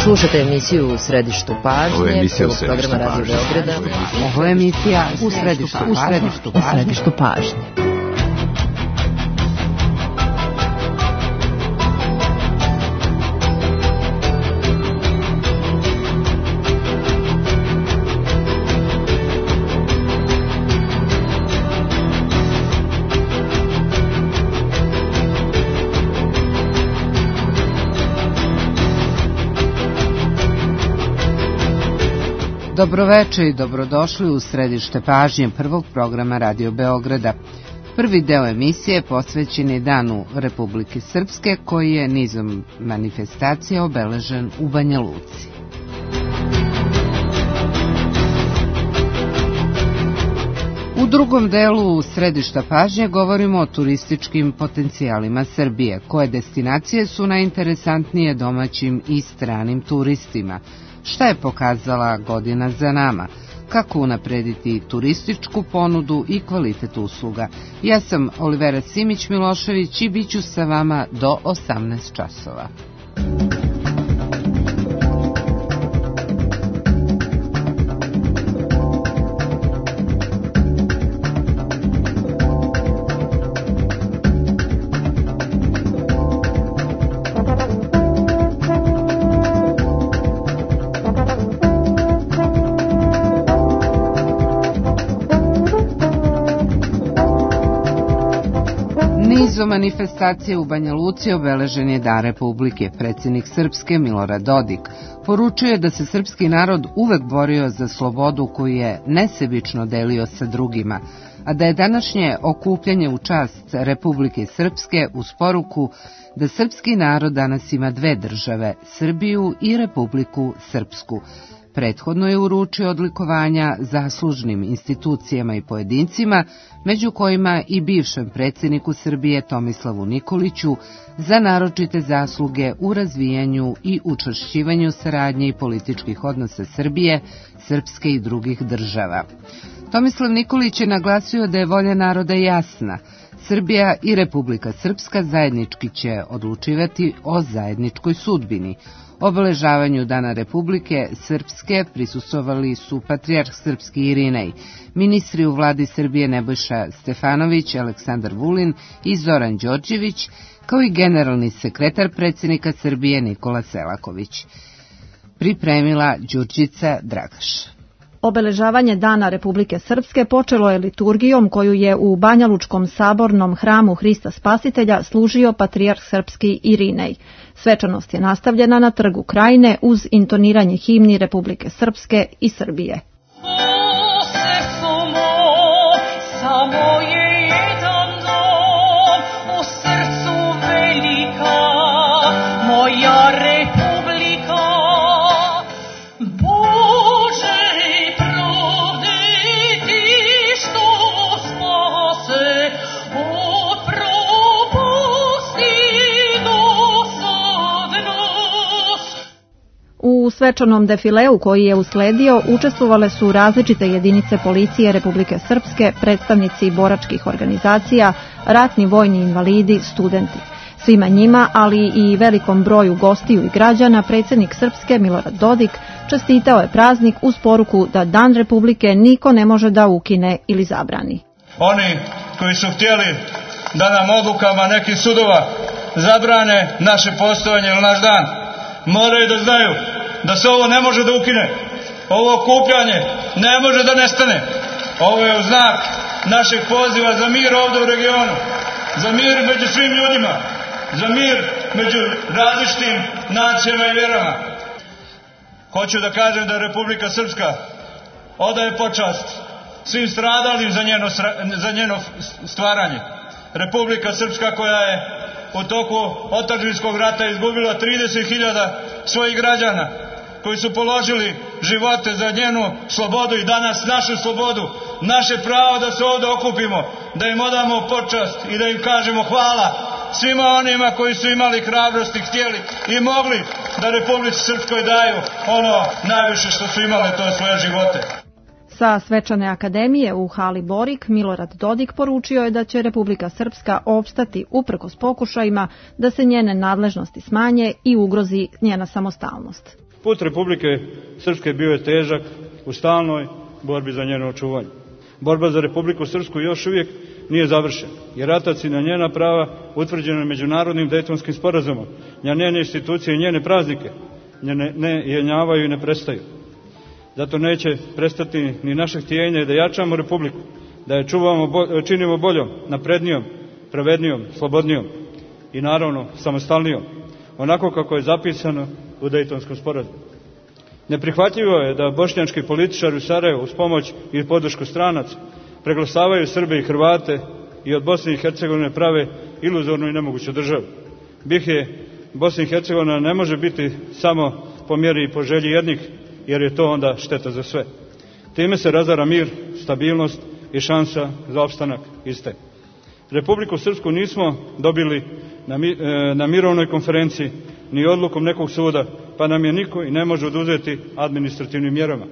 Slušate emisiju U središtu pažnje, prvog programa Radio Beograda. Ovo je emisija U središtu pažnje. Dobroveče i dobrodošli u središte pažnje prvog programa Radio Beograda. Prvi deo emisije posvećen je Danu Republike Srpske, koji je nizom manifestacija obeležen u Banja Luci. U drugom delu središta pažnje govorimo o turističkim potencijalima Srbije, koje destinacije su najinteresantnije domaćim i stranim turistima. Šta je pokazala godina za nama? Kako unaprediti turističku ponudu i kvalitet usluga? Ja sam Olivera Simić-Milošević i bit ću sa vama do 18 časova. Manifestacije u Banja Luci obeležen je Dan Republike. Predsjednik Srpske Milorad Dodik poručuje da se srpski narod uvek borio za slobodu koju je nesebično delio sa drugima, a da je današnje okupljanje u čast Republike Srpske uz poruku da srpski narod danas ima dve države, Srbiju i Republiku Srpsku. Prethodno je uručio odlikovanja zaslužnim institucijama i pojedincima, među kojima i bivšem predsjedniku Srbije Tomislavu Nikoliću za naročite zasluge u razvijanju i učvršćivanju saradnje i političkih odnosa Srbije, Srpske i drugih država. Tomislav Nikolić je naglasio da je volja naroda jasna. Srbija i Republika Srpska zajednički će odlučivati o zajedničkoj sudbini. Obeležavanju Dana Republike Srpske prisustvovali su patrijarh srpski Irinej, ministri u vladi Srbije Nebojša Stefanović, Aleksandar Vulin i Zoran Đorđević, kao i generalni sekretar predsjednika Srbije Nikola Selaković. Pripremila Đurđica Dragaš. Obeležavanje Dana Republike Srpske počelo je liturgijom koju je u Banjalučkom sabornom hramu Hrista Spasitelja služio patrijarh srpski Irinej. Svečanost je nastavljena na Trgu Krajine uz intoniranje himni Republike Srpske i Srbije. U svečanom defileu koji je usledio učestvovale su različite jedinice policije Republike Srpske, predstavnici boračkih organizacija, ratni vojni invalidi, studenti. Svima njima, ali i velikom broju gostiju i građana, predsjednik Srpske Milorad Dodik čestitao je praznik uz poruku da Dan Republike niko ne može da ukine ili zabrani. Oni koji su htjeli da nam odlukama nekih sudova zabrane naše postojanje ili naš dan, moraju da znaju da se ovo ne može da ukine. Ovo okupljanje ne može da nestane. Ovo je u znak našeg poziva za mir ovdje u regionu, za mir među svim ljudima, za mir među različitim nacijama i vjerama. Hoću da kažem da Republika Srpska odaje počast svim stradalim za njeno stvaranje. Republika Srpska koja je u toku otadžbinskog rata izgubila 30.000 svojih građana koji su položili živote za njenu slobodu i danas našu slobodu, naše pravo da se ovdje okupimo, da im odamo počast i da im kažemo hvala svima onima koji su imali hrabrosti, htjeli i mogli da Republici Srpskoj daju ono najviše što su imali, to je svoje živote. Sa svečane akademije u hali Borik Milorad Dodik poručio je da će Republika Srpska opstati uprkos pokušajima da se njene nadležnosti smanje i ugrozi njena samostalnost. Put Republike Srpske bio je težak u stalnoj borbi za njeno očuvanje. Borba za Republiku Srpsku još uvijek nije završena, jer ratac i na njena prava utvrđena međunarodnim Dejtonskim sporazumom, njene institucije i njene praznike ne jenjavaju i ne prestaju. Zato neće prestati ni naše htjenje da jačamo Republiku, da je činimo boljom, naprednijom, pravednijom, slobodnijom i naravno samostalnijom, onako kako je zapisano u Dejtonskom sporazumu. Neprihvatljivo je da bošnjački političari u Sarajevu uz pomoć i podršku stranaca preglasavaju Srbe i Hrvate i od Bosne i Hercegovine prave iluzornu i nemoguću državu. Bosna i Hercegovina ne može biti samo po mjeri i po želji jednih, jer je to onda šteta za sve. Time se razara mir, stabilnost i šansa za opstanak iste. Republiku Srpsku nismo dobili na mirovnoj konferenciji ni odlukom nekog suda, pa nam je niko i ne može oduzeti administrativnim mjerama.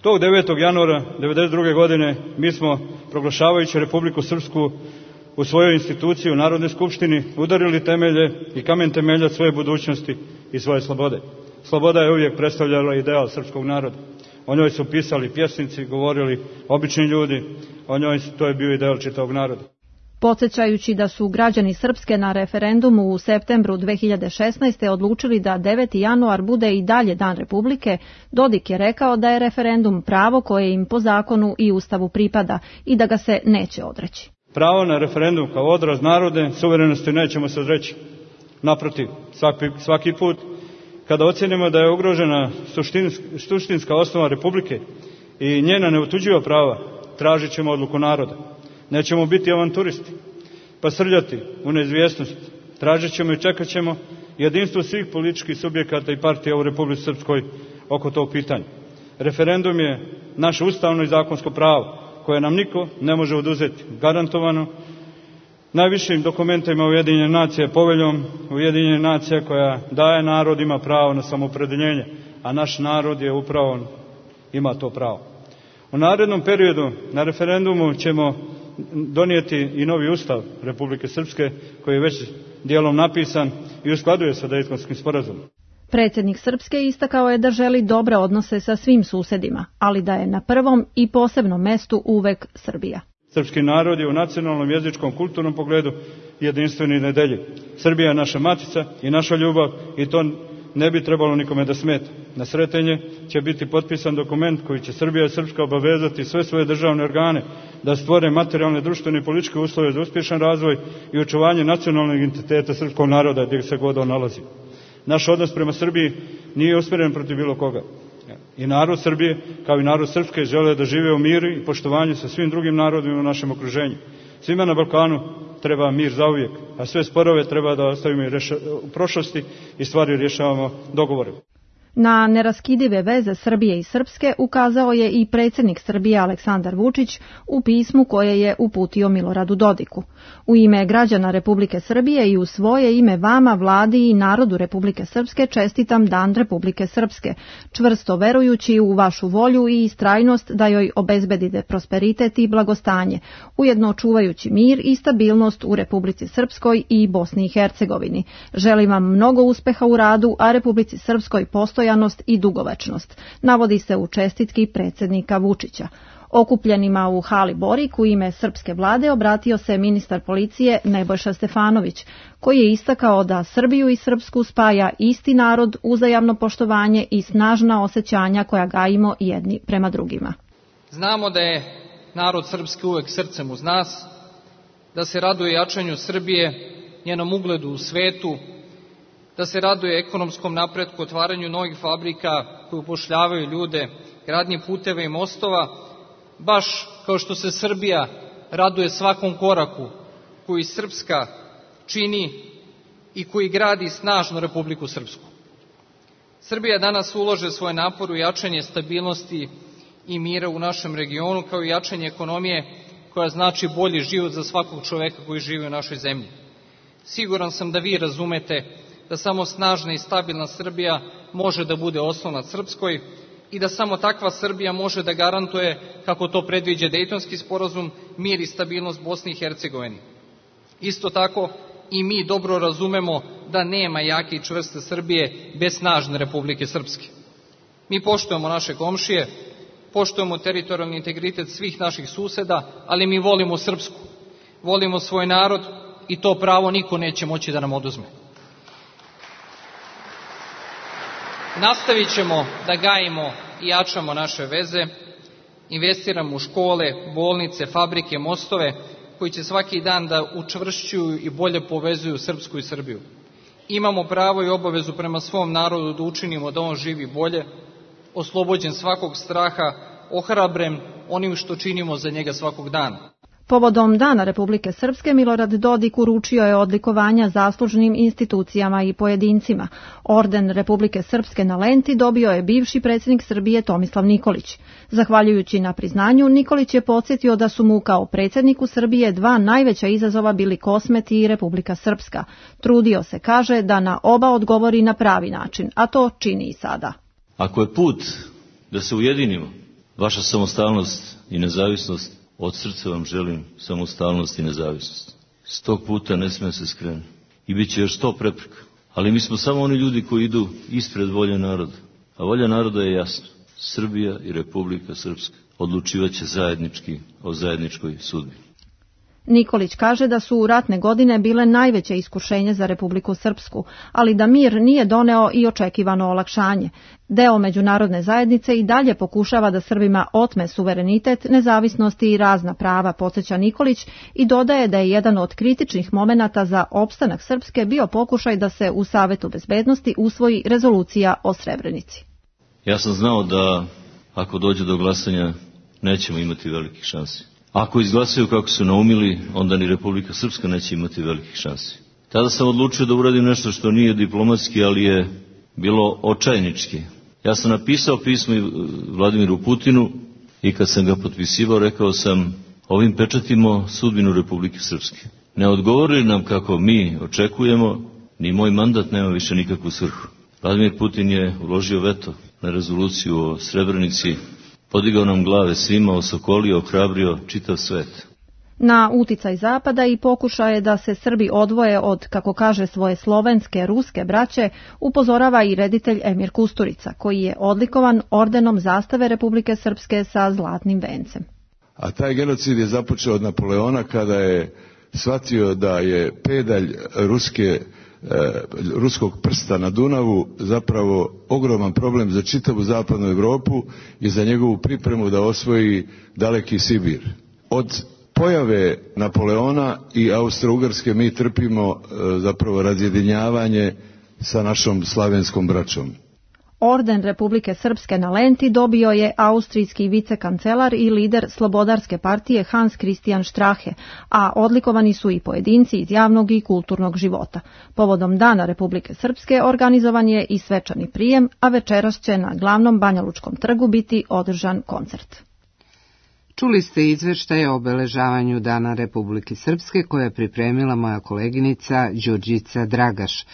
Tog 9. januara 1992. godine mi smo, proglašavajući Republiku Srpsku u svojoj instituciji u Narodnoj skupštini, udarili temelje i kamen temeljac svoje budućnosti i svoje slobode. Sloboda je uvijek predstavljala ideal srpskog naroda. O njoj su pisali pjesnici, govorili obični ljudi, o njoj to je bio ideal čitavog naroda. Podsjećajući da su građani Srpske na referendumu u septembru 2016. odlučili da 9. januar bude i dalje Dan Republike, Dodik je rekao da je referendum pravo koje im po zakonu i Ustavu pripada i da ga se neće odreći. Pravo na referendum kao odraz narodne suverenosti nećemo se odreći. Naprotiv, svaki put kada ocjenimo da je ugrožena suštinska osnova Republike i njena neotuđiva prava, tražit ćemo odluku naroda. Nećemo biti avanturisti, pa srljati u neizvjesnost. Tražit ćemo i čekat ćemo jedinstvo svih političkih subjekata i partija u Republici Srpskoj oko tog pitanja. Referendum je naše ustavno i zakonsko pravo, koje nam niko ne može oduzeti, garantovano najvišim dokumentima Ujedinjenih nacija, poveljom Ujedinjenih nacija koja daje narodima pravo na samoopredeljenje, a naš narod je upravo ima to pravo. U narednom periodu na referendumu ćemo donijeti i novi ustav Republike Srpske, koji je već dijelom napisan i uskladuje sa Dejtonskim sporazumom. Predsjednik Srpske istakao je da želi dobre odnose sa svim susedima, ali da je na prvom i posebnom mestu uvek Srbija. Srpski narod je u nacionalnom, jezičkom, kulturnom pogledu jedinstveni i nedeljiv. Srbija je naša matica i naša ljubav i to ne bi trebalo nikome da smeta. Na Sretenje će biti potpisan dokument koji će Srbija i Srpska obavezati sve svoje državne organe da stvore materijalne, društvene i političke uslove za uspješan razvoj i očuvanje nacionalnog identiteta srpskog naroda gdje se god on nalazi. Naš odnos prema Srbiji nije usmjeren protiv bilo koga. I narod Srbije, kao i narod Srpske, žele da žive u miru i poštovanju sa svim drugim narodima u našem okruženju. Svima na Balkanu treba mir zauvijek, a sve sporove treba da ostavimo u prošlosti i stvari rješavamo dogovorem. Na neraskidive veze Srbije i Srpske ukazao je i predsjednik Srbije Aleksandar Vučić u pismu koje je uputio Miloradu Dodiku. U ime građana Republike Srbije i u svoje ime vama, vladi i narodu Republike Srpske čestitam Dan Republike Srpske, čvrsto verujući u vašu volju i istrajnost da joj obezbedite prosperitet i blagostanje, ujedno čuvajući mir i stabilnost u Republici Srpskoj i Bosni i Hercegovini. Želim vam mnogo uspeha u radu, a Republici Srpskoj postojanost i dugovečnost, navodi se u čestitki predsjednika Vučića. Okupljenima u hali Borik u ime srpske vlade obratio se ministar policije Nebojša Stefanović, koji je istakao da Srbiju i Srpsku spaja isti narod, uzajamno poštovanje i snažna osjećanja koja gajimo jedni prema drugima. Znamo da je narod srpski uvek srcem uz nas, da se raduje jačanju Srbije, njenom ugledu u svetu, da se raduje ekonomskom napretku, otvaranju novih fabrika koje upošljavaju ljude, gradnji puteva i mostova, baš kao što se Srbija raduje svakom koraku koji Srpska čini i koji gradi snažnu Republiku Srpsku. Srbija danas ulaže svoje napore u jačanje stabilnosti i mira u našem regionu, kao i jačanje ekonomije koja znači bolji život za svakog čoveka koji živi u našoj zemlji. Siguran sam da vi razumete da samo snažna i stabilna Srbija može da bude oslonac Srpskoj i da samo takva Srbija može da garantuje, kako to predviđa Dejtonski sporazum, mir i stabilnost Bosni i Hercegovini. Isto tako i mi dobro razumemo da nema jake i čvrste Srbije bez snažne Republike Srpske. Mi poštujemo naše komšije, poštujemo teritorijalni integritet svih naših suseda, ali mi volimo Srpsku, volimo svoj narod i to pravo niko neće moći da nam oduzme. Nastavit ćemo da gajimo i jačamo naše veze, investiramo u škole, bolnice, fabrike, mostove, koji će svaki dan da učvršćuju i bolje povezuju Srpsku i Srbiju. Imamo pravo i obavezu prema svom narodu da učinimo da on živi bolje, oslobođen svakog straha, ohrabren onim što činimo za njega svakog dana. Povodom Dana Republike Srpske Milorad Dodik uručio je odlikovanja zaslužnim institucijama i pojedincima. Orden Republike Srpske na lenti dobio je bivši predsjednik Srbije Tomislav Nikolić. Zahvaljujući na priznanju, Nikolić je podsjetio da su mu kao predsjedniku Srbije dva najveća izazova bili Kosmet i Republika Srpska. Trudio se, kaže, da na oba odgovori na pravi način, a to čini i sada. Ako je put da se ujedinimo, vaša samostalnost i nezavisnost, od srca vam želim samostalnost i nezavisnost. S tog puta ne smije se skrenuti. I bit će još 100 prepreka. Ali mi smo samo oni ljudi koji idu ispred volje naroda. A volja naroda je jasna. Srbija i Republika Srpska odlučivaće zajednički o zajedničkoj sudbini. Nikolić kaže da su ratne godine bile najveće iskušenje za Republiku Srpsku, ali da mir nije doneo i očekivano olakšanje. Deo međunarodne zajednice i dalje pokušava da Srbima otme suverenitet, nezavisnost i razna prava, podsjeća Nikolić, i dodaje da je jedan od kritičnih momenata za opstanak Srpske bio pokušaj da se u Savetu bezbednosti usvoji rezolucija o Srebrenici. Ja sam znao da ako dođe do glasanja nećemo imati velikih šansi. Ako izglasaju kako su naumili, onda ni Republika Srpska neće imati velikih šansi. Tada sam odlučio da uradim nešto što nije diplomatski, ali je bilo očajnički. Ja sam napisao pismo Vladimiru Putinu i kad sam ga potpisivao rekao sam: ovim pečatimo sudbinu Republike Srpske. Ne odgovori nam kako mi očekujemo, ni moj mandat nema više nikakvu svrhu. Vladimir Putin je uložio veto na rezoluciju o Srebrenici, podigao nam glave svima, osokolio, ohrabrio čitav svet. Na uticaj Zapada i pokušaje da se Srbi odvoje od, kako kaže, svoje slovenske, ruske braće, upozorava i reditelj Emir Kusturica, koji je odlikovan ordenom zastave Republike Srpske sa zlatnim vencem. A taj genocid je započeo od Napoleona kada je shvatio da je pedalj ruskog prsta na Dunavu zapravo ogroman problem za čitavu zapadnu Europu i za njegovu pripremu da osvoji daleki Sibir. Od pojave Napoleona i Austro-Ugarske mi trpimo zapravo razjedinjavanje sa našom slavenskom braćom. Orden Republike Srpske na lenti dobio je austrijski vicekancelar i lider Slobodarske partije Hans Christian Strache, a odlikovani su i pojedinci iz javnog i kulturnog života. Povodom Dana Republike Srpske organizovan je i svečani prijem, a večeras će na glavnom Banjalučkom trgu biti održan koncert. Čuli ste izveštaje o obeležavanju Dana Republike Srpske koje je pripremila moja koleginica Đurđica Dragaš.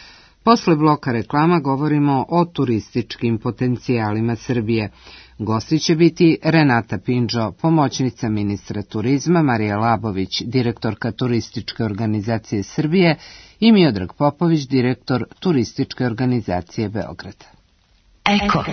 Posle bloka reklama govorimo o turističkim potencijalima Srbije. Gosti će biti Renata Pinđo, pomoćnica ministra turizma, Marija Labović, direktorka Turističke organizacije Srbije i Miodrag Popović, direktor Turističke organizacije Beograda. Eko.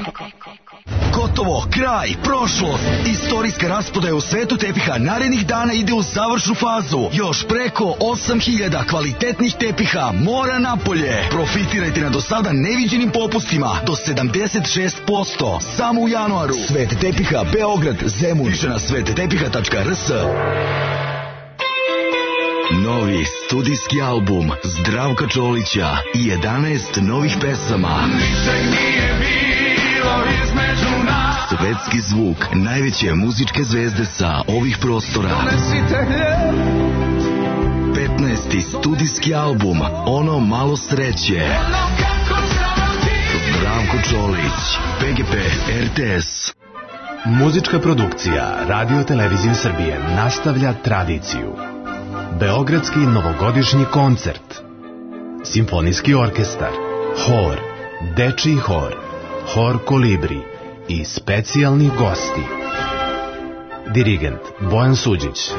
Gotovo, kraj, prošlost. Istorijska rasprodaja u svetu tepiha narednih dana ide u završnu fazu. Još preko 8000 kvalitetnih tepiha mora napolje. Profitirajte na do sada neviđenim popustima do 76%. Samo u januaru. Svet tepiha Beograd, Zemun. Više na svettepiha.rs. Novi studijski album Zdravka Čolića i 11 novih pesama. Svetski zvuk najveće muzičke zvezde sa ovih prostora. 15. studijski album Ono malo sreće. Zdravko Čolić, PGP RTS. Muzička produkcija Radio Televizije Srbije nastavlja tradiciju. Beogradski novogodišnji koncert, simfonijski orkestar, hor, dečiji hor, hor Kolibri i specijalni gosti. Dirigent Bojan Suđić.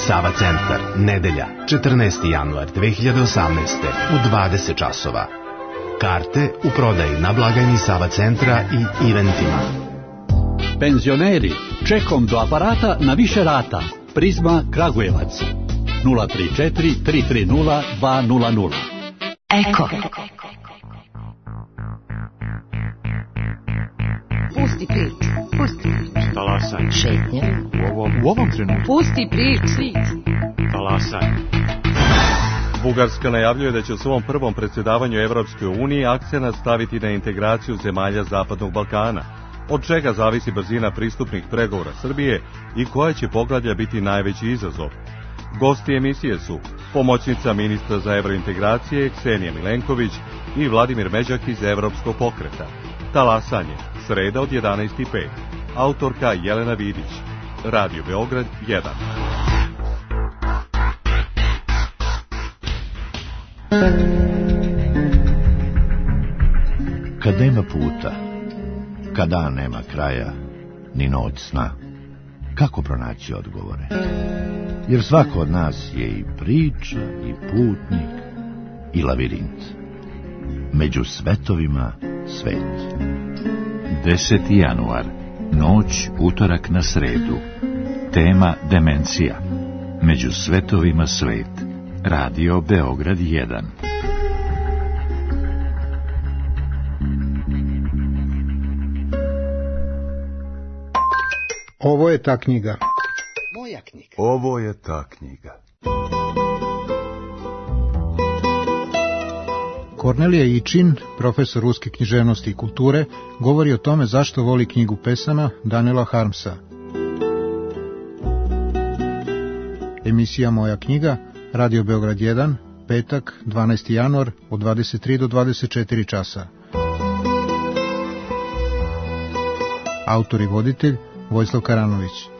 Sava Centar, nedelja, 14. januar 2018. u 20 časova. Karte u prodaji na blagajni Sava centra i eventima. Penzioneri, čekom do aparata na više rata. Prizma Kragujevac 034 330 200. Eko. Pusti priču. Talasaj. Šetnje. U ovom trenutku. Pusti priču. Talasaj. Bugarska najavljuje da će u svom prvom predsjedavanju Evropskoj uniji akcenat staviti na integraciju zemalja Zapadnog Balkana, od čega zavisi brzina pristupnih pregovora Srbije i koja će poglavlja biti najveći izazov. Gosti emisije su pomoćnica ministra za evrointegracije Ksenija Milenković i Vladimir Međak iz Evropskog pokreta. Talasanje, sreda od 11:05. Autorka Jelena Vidić. Radio Beograd 1. Kad nema puta, kad dan nema kraja, ni noć sna, kako pronaći odgovore? Jer svako od nas je i priča, i putnik, i lavirint. Među svetovima svet. 10. januar, noć utorak na sredu. Tema demencija. Među svetovima svet. Radio Beograd 1. Ovo je ta knjiga. Moja knjiga. Ovo je ta knjiga. Kornelija Ičin, profesor ruske književnosti i kulture, govori o tome zašto voli knjigu pesama Daniela Harmsa. Emisija Moja knjiga, Radio Beograd 1, petak, 12. januar, od 23 do 24 časa. Autor i voditelj Vojislav Karanović.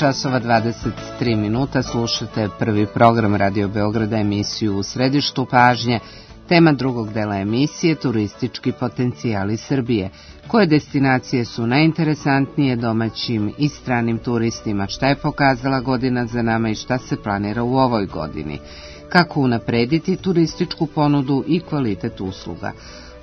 časova 23 minuta, slušate prvi program Radio Beograda, emisiju U središtu pažnje. Tema drugog dela emisije, turistički potencijali Srbije. Koje destinacije su najinteresantnije domaćim i stranim turistima? Šta je pokazala godina za nama i šta se planira u ovoj godini? Kako unaprediti turističku ponudu i kvalitet usluga?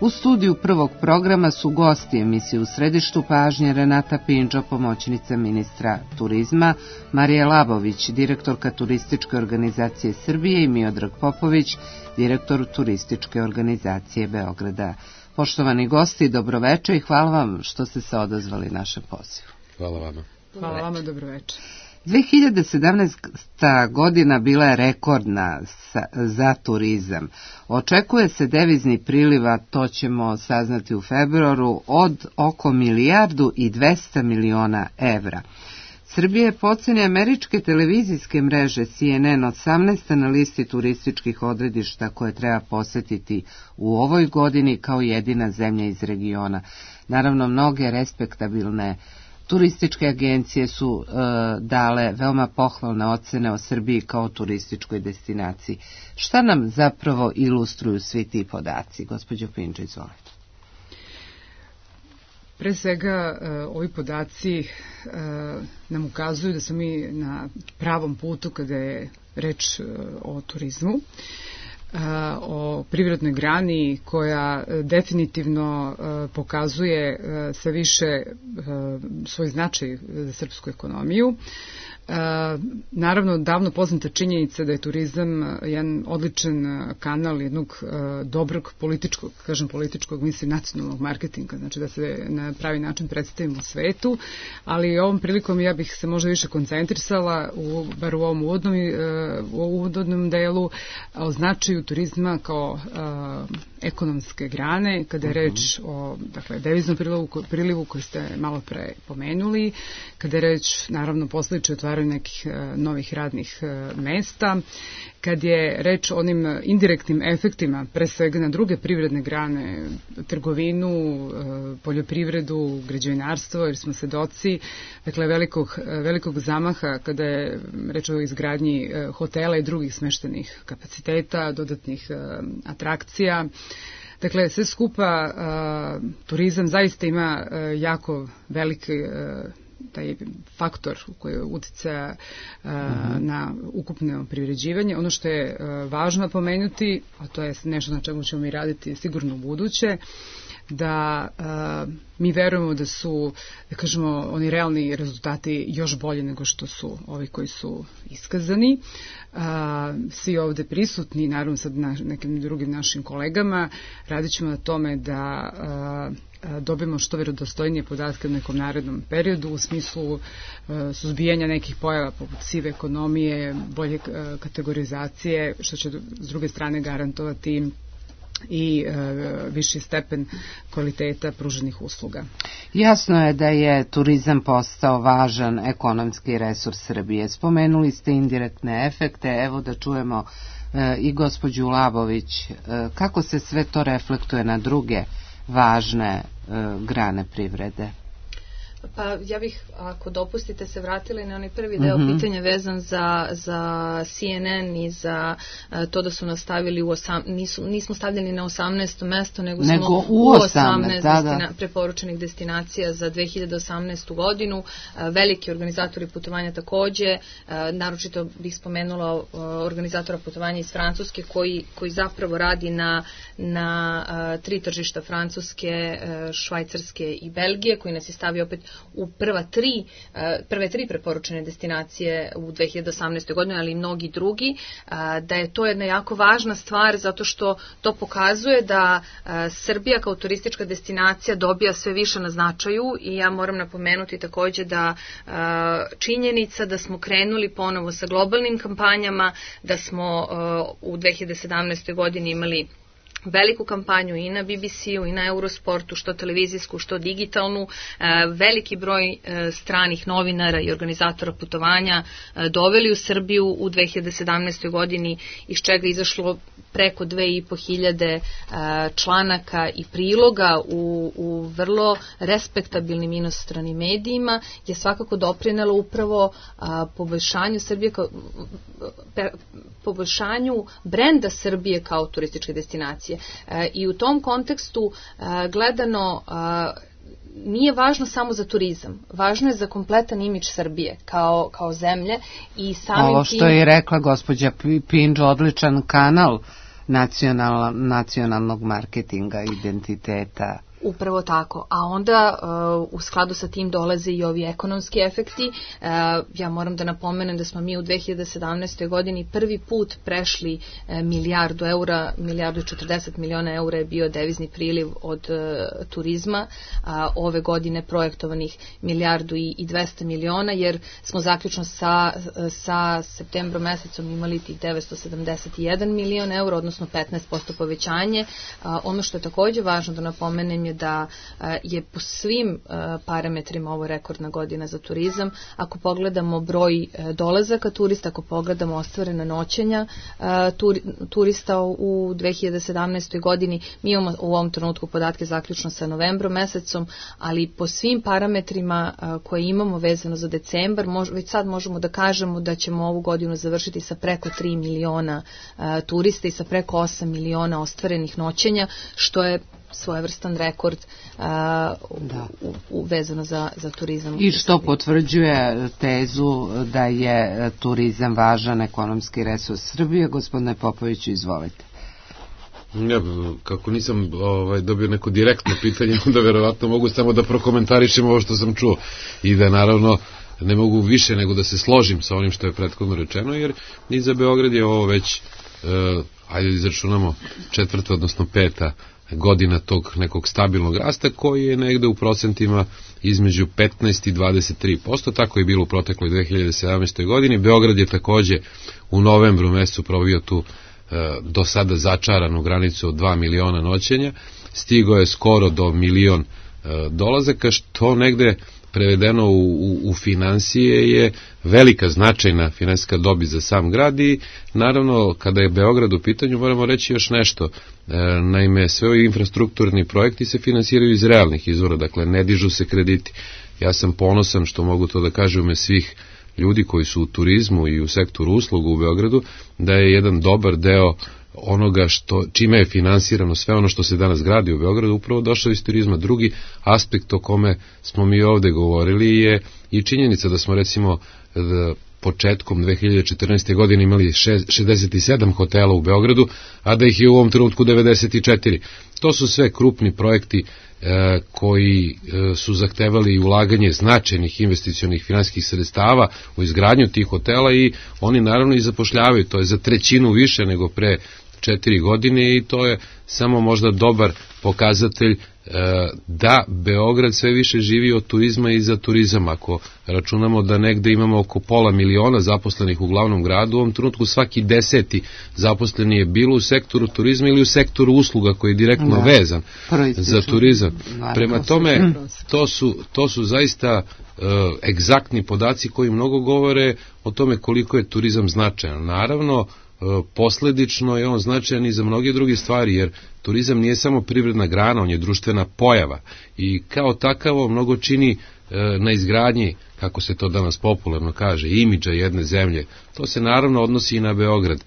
U studiju prvog programa su gosti emisije U središtu pažnje Renata Pinđo, pomoćnica ministra turizma, Marija Labović, direktorka turističke organizacije Srbije i Miodrag Popović, direktor turističke organizacije Beograda. Poštovani gosti, dobroveče i hvala vam što ste se odazvali našem pozivu. Hvala vama. Hvala vama, dobroveče. 2017. godina bila je rekordna za turizam. Očekuje se devizni priliv, to ćemo saznati u februaru, od oko 1,2 milijarde evra. Srbija je po oceni američke televizijske mreže CNN 18. na listi turističkih odredišta koje treba posetiti u ovoj godini kao jedina zemlja iz regiona. Naravno, mnoge respektabilne turističke agencije su dale veoma pohvalne ocene o Srbiji kao turističkoj destinaciji. Šta nam zapravo ilustruju svi ti podaci? Gospođo Pinđo, izvolite. Pre svega, ovi podaci nam ukazuju da smo mi na pravom putu kada je reč o turizmu, o privrednoj grani koja definitivno pokazuje sve više svoj značaj za srpsku ekonomiju. Naravno, davno poznata činjenica da je turizam jedan odličan kanal jednog dobrog političkog, mislim, nacionalnog marketinga, znači da se na pravi način predstavimo u svetu, ali ovom prilikom ja bih se možda više koncentrisala, bar u ovom uvodnom delu, o značaju turizma kao ekonomske grane, kada je reč o deviznom prilivu koji ste malo pre pomenuli, kada je reč, naravno, posledično otvaranju nekih novih radnih mesta, kad je reč o onim indirektnim efektima, pre svega na druge privredne grane, trgovinu, poljoprivredu, građevinarstvo, jer smo svedoci velikog zamaha kada je reč o izgradnji hotela i drugih smeštenih kapaciteta, dodatnih atrakcija. Dakle, sve skupa turizam zaista ima jako veliki taj faktor koji uticaja na ukupno privređivanje. Ono što je važno pomenuti, a to je nešto na čemu ćemo mi raditi sigurno u buduće, da mi verujemo da su, da kažemo, oni realni rezultati još bolji nego što su ovi koji su iskazani. Svi ovde prisutni, naravno sad nekim drugim našim kolegama, radit ćemo na tome da dobijemo što verodostojnije podatke u nekom narednom periodu u smislu suzbijanja nekih pojava poput sive ekonomije, bolje kategorizacije, što će s druge strane garantovati i viši stepen kvaliteta pruženih usluga. Jasno je da je turizam postao važan ekonomski resurs Srbije. Spomenuli ste indirektne efekte, evo da čujemo i gospođu Labović, kako se sve to reflektuje na druge važne grane privrede? Pa ja bih, ako dopustite, se vratila na onaj prvi deo pitanja vezan za CNN i za to da su nas stavili nismo stavljeni na 18. mesto, nego smo u 18 preporučenih destinacija za 2018. godinu. Veliki organizatori putovanja takođe, naročito bih spomenula organizatora putovanja iz Francuske koji zapravo radi na 3 tržišta, Francuske, Švajcarske i Belgije, koji nas je stavio opet u prve tri preporučene destinacije u 2018. godini, ali i mnogi drugi, da je to jedna jako važna stvar zato što to pokazuje da Srbija kao turistička destinacija dobija sve više na značaju i ja moram napomenuti takođe da činjenica da smo krenuli ponovo sa globalnim kampanjama, da smo u 2017. godini imali veliku kampanju i na BBC-u i na Eurosportu, što televizijsku, što digitalnu, veliki broj stranih novinara i organizatora putovanja doveli u Srbiju u 2017. godini, iz čega je izašlo preko 2500 članaka i priloga u vrlo respektabilnim inostranim medijima, je svakako doprinelo upravo poboljšanju Srbije, poboljšanju brenda Srbije kao turističke destinacije. I u tom kontekstu gledano nije važno samo za turizam, važno je za kompletan imidž Srbije kao zemlje i samim ovo što je rekla gospođa Pinđ, odličan kanal nacionalnog marketinga, identiteta. Upravo tako, a onda u skladu sa tim dolaze i ovi ekonomski efekti. Ja moram da napomenem da smo mi u 2017. godini prvi put prešli milijardu eura, 1,40 miliona eura je bio devizni priliv od turizma, ove godine projektovanih 1,2 miliona, jer smo zaključno sa septembrom mesecom imali tih 971 milion eura, odnosno 15% povećanje. Ono što je takođe važno da napomenem da je po svim parametrima ovo rekordna godina za turizam. Ako pogledamo broj dolazaka turista, ako pogledamo ostvarena noćenja turista u 2017. godini, mi imamo u ovom trenutku podatke zaključno sa novembrom mesecom, ali po svim parametrima koje imamo vezano za decembar, već sad možemo da kažemo da ćemo ovu godinu završiti sa preko 3 miliona turista i sa preko 8 miliona ostvarenih noćenja, što je svojevrstan rekord vezano za turizam. I što potvrđuje tezu da je turizam važan ekonomski resurs Srbije. Gospodine Popoviću, izvolite. Ja, kako nisam dobio neko direktno pitanje, onda verovatno mogu samo da prokomentarišem ovo što sam čuo i da naravno ne mogu više nego da se složim sa onim što je prethodno rečeno, jer i za Beograd je ovo već, ajde izračunamo, 4. odnosno 5. godina tog nekog stabilnog rasta koji je negde u procentima između 15 i 23%, tako je bilo u protekloj 2017. godini. Beograd je takođe u novembru mesecu probio tu do sada začaranu granicu od 2 miliona noćenja, stigao je skoro do 1 milion dolazaka, što negde prevedeno u finansije je velika značajna finansijska dobit za sam grad. I naravno kada je Beograd u pitanju moramo reći još nešto. Naime, sve ovi infrastrukturni projekti se finansiraju iz realnih izvora, dakle ne dižu se krediti. Ja sam ponosan što mogu to da kažem u ime svih ljudi koji su u turizmu i u sektoru usluga u Beogradu, da je jedan dobar deo onoga čime je finansirano sve ono što se danas gradi u Beogradu upravo došao iz turizma. Drugi aspekt o kome smo mi ovde govorili je i činjenica da smo recimo početkom 2014. godine imali 67 hotela u Beogradu, a da ih je u ovom trenutku 94. To su sve krupni projekti koji su zahtevali ulaganje značajnih investicionih finansijskih sredstava u izgradnju tih hotela i oni naravno i zapošljavaju, to je za 1/3 više nego pre 4 godine i to je samo možda dobar pokazatelj da Beograd sve više živi od turizma i za turizam. Ako računamo da negde imamo oko 500 miliona zaposlenih u glavnom gradu, u ovom trenutku svaki 10. zaposleni je bilo u sektoru turizma ili u sektoru usluga koji je direktno vezan za turizam. Prema tome, to su zaista egzaktni podaci koji mnogo govore o tome koliko je turizam značajan. Naravno, posledično je on značajan i za mnoge druge stvari, jer turizam nije samo privredna grana, on je društvena pojava i kao takavo mnogo čini na izgradnji, kako se to danas popularno kaže, imidža jedne zemlje. To se naravno odnosi i na Beograd.